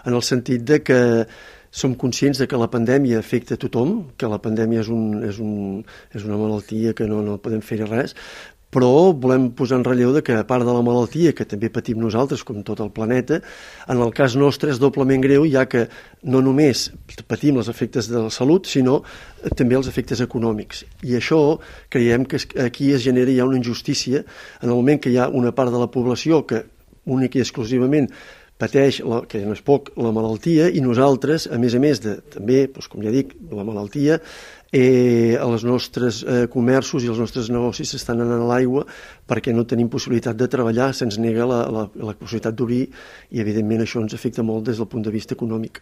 en el sentit de que som conscients de que la pandèmia afecta a tothom, que la pandèmia és una malaltia que no podem fer res, però volem posar en relleu que a part de la malaltia que també patim nosaltres, com tot el planeta, en el cas nostre és doblement greu, ja que no només patim els efectes de la salut, sinó també els efectes econòmics. I això creiem que aquí es genera ja una injustícia en el moment que hi ha una part de la població que únic i exclusivament pateix, que no és poc, la malaltia, i nosaltres, a més de també, com ja dic, la malaltia, els nostres comerços i els nostres negocis s'estan anant a l'aigua perquè no tenim possibilitat de treballar, se'ns nega la possibilitat d'obrir i evidentment això ens afecta molt des del punt de vista econòmic.